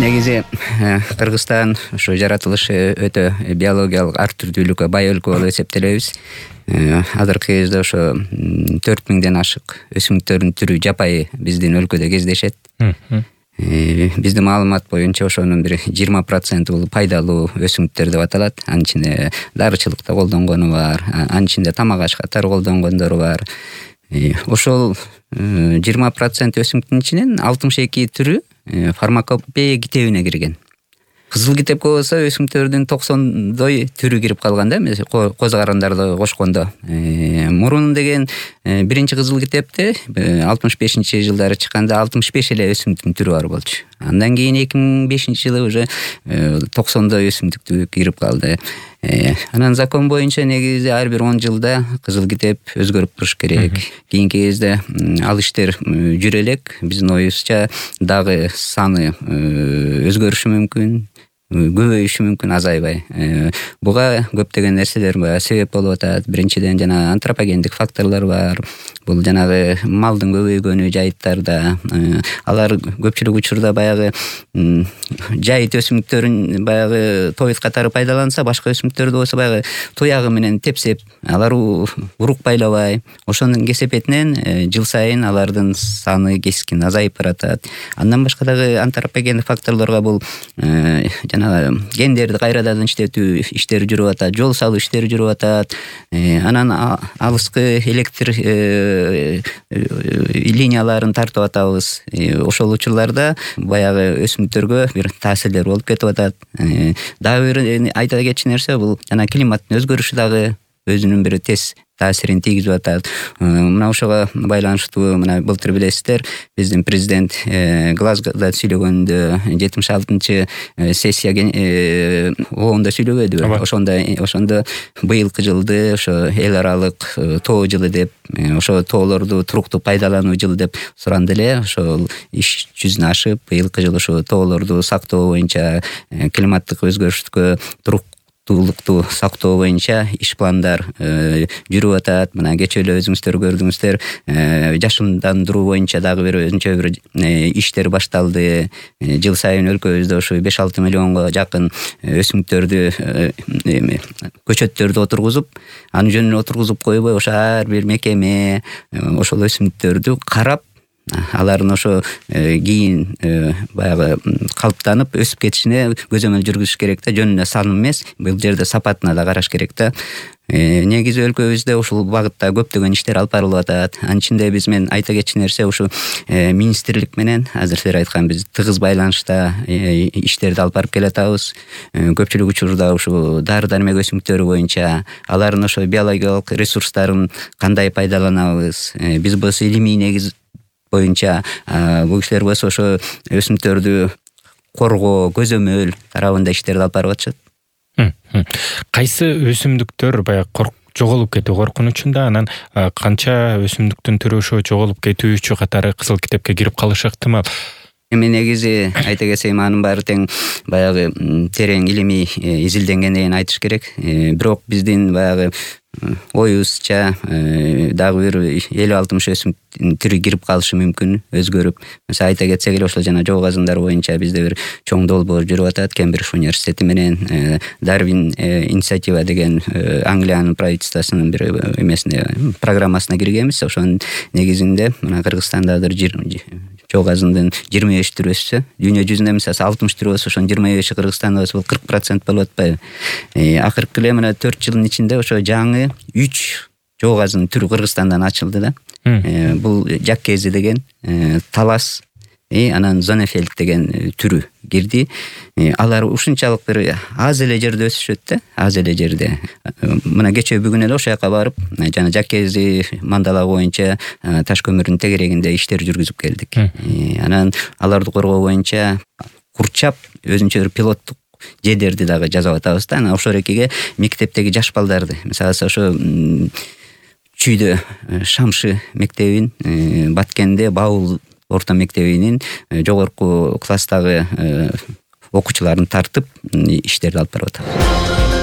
Негизи Кыргызстан ошо жаратылышы өтө биологиялык ар түрдүүлүккө бай өлкө болуп эсептелебиз. Азыркы кезде ошо 4000ден ашык өсүмдүктөрдүн түрү жапайы биздин өлкөдө кездешет. Биздин маалымат боюнча ошонун бир 20% бул пайдалуу өсүмдүктөр деп аталат. Анын ичинде дарычылыкта колдонгону бар, анын ичинде тамак аш катары колдонгондору бар. Ошол 20% өсүмдүктүн ичинен 62 түрү фармакопея китебине кирген. Кызыл китепке болсо өсүмдүктөрдүн 90 түрү кирип калган да, коз карандарды кошкондо. Мурун деген биринчи кызыл китепте 65-жылдары чыкканда 65 эле өсүмдүктүн түрү бар болчу. Андан кийин 2005-жылы уже 90 өсүмдүктү кирип калды. Анан закон боюнча негизи ар бир 10 жылда кызыл китеп өзгөрүп туруш керек. Кийинки кезде ал иштер жүрө элек. Биздин оюбузча дагы саны өзгөрүшү мүмкүн, көбөйүшү мүмкүн, азайбай. Буга көптөгөн нерселер себеп болуп атат. Биринчиден жана антропогендик факторлор бар. Бул жанагы малдын көбөйгөнү жайыттарда. Алар көпчүлүк учурда баягы жайыт өсүмдүктөрүн баягы тоют катары пайдаланса, башка өсүмдүктөрдү болсо баягы туягы менен тепсеп, алар урук байлабай, ошонун кесепетинен жыл сайын алардын саны кескин азайып баратат. Андан башка дагы антропогендик факторлорго бул жанагы гендерди кайрадан иштетүү иштери жүрүп атат, жол салуу иштери жүрүп атат. Анан алыскы электр линияларын тартып атабыз. Ошол учурларда баягы өсүмдүктөргө бир таасирлер болуп кетип атат. Дагы бир айта кетчү нерсе бул жана климаттын өзгөрүшү дагы өзүнүн бир тез таасирин тийгизип атат. Мына ошого байланыштуу, мына былтыр билесиздер, биздин президент Глазгода сүйлөгөндө 76-чы сессия ООНдо сүйлөбөдүбү? Ошондо быйылкы жылды ошо эл аралык тоо жылы деп, ошо тоолорду туруктуу пайдалануу жылы деп суранды эле. Ошол иш жүзүнө ашып, быйылкы жылы ошо тоолорду сактоо боюнча, климаттык өзгөрүштүккө туруктуулукту сактоо боюнча иш пландар жүрүп атат. Мына кечээ эле өзүңүздөр көрдүңүздөр, жашындандыруу боюнча дагы бир өзүнчө бир иштер башталды. Жыл сайын өлкөбүздө ошо 5-6 миллионго жакын өсүмдүктөрдү, көчөттөрдү отургузуп, анын жөнүнө отургузуп койбой, ошо ар бир мекеме ошол өсүмдүктөрдү карап, алардын ошо кийин баягы калыптанып өсүп кетишине көзөмөл жүргүзүш керек да, жөнүнө сан эмес, бул жерде сапатына да караш керек да. Негизи өлкөбүздө ушул багытта көптөгөн иштер алып барылып атат. Анын ичинде биз мен айта кетчү нерсе ушу министрлик менен азыр силер айткан биз тыгыз байланышта иштерди алып барып келатабыз. Көпчүлүк учурда ушу дары-дармек өсүмдүктөрү боюнча алардын ошо биологиялык ресурстарын кандай пайдаланабыз? Биз болсо илимий негиз боюнча, бул кишилер болсо ошо өсүмдүктөрдү коргоо, көзөмөл тарабында иштерди алып барып атышат. Кайсы өсүмдүктөр баягы жоголуп кетүү коркунучунда, анан канча өсүмдүктүн түрү ошо жоголуп кетүүчү катары кызыл китепке кирип калышы ыктымал? Эми негизи айта кетсем, анын баары тең баягы терең илимий изилденгенден кийин айтыш керек. Бирок биздин баягы оюбузча дагы бир 50-60 өсүмдүктүн түрү кирип калышы мүмкүн, өзгөрүп. Мисалы айта кетсек эле, ошол жана жоо казындар боюнча бизде бир чоң долбоор жүрүп атат. Кембридж университети менен Дарвин инициатива деген Англиянын правительствосунун бир эмесине, программасына киргенбиз. Ошонун негизинде мына Кыргызстанда жоо казындын 25 түрү өссө, дүйнө жүзүндө мисалы 60 түрү болсо, ошонун 25-и Кыргызстанда болсо, бул 40% болуп атпайбы? Акыркы эле мына 4 жылдын ичинде ошо жаңы 3 жоо казынын түрү Кыргызстандан ачылды да. Бул жаккези деген, талас, анан зонефельд деген түрү кирди. Алар ушунчалык бир аз эле жерде өсүшөт да, аз эле жерде. Мына кечээ бүгүн эле ошол жака барып, жана жаккези мандалаа боюнча таш көмүрдүн тегерегинде иштер жүргүзүп келдик. Анан аларды коргоо боюнча курчап өзүнчө бир пилоттук жедерди дагы жасап атабыз да. Анан ошол экиге мектептеги жаш балдарды, мисалы ошо Чүйдө Шамшы мектебин, Баткенде Баул орто мектебинин жогорку класстагы окуучуларын тартып иштерди алып барып атабыз.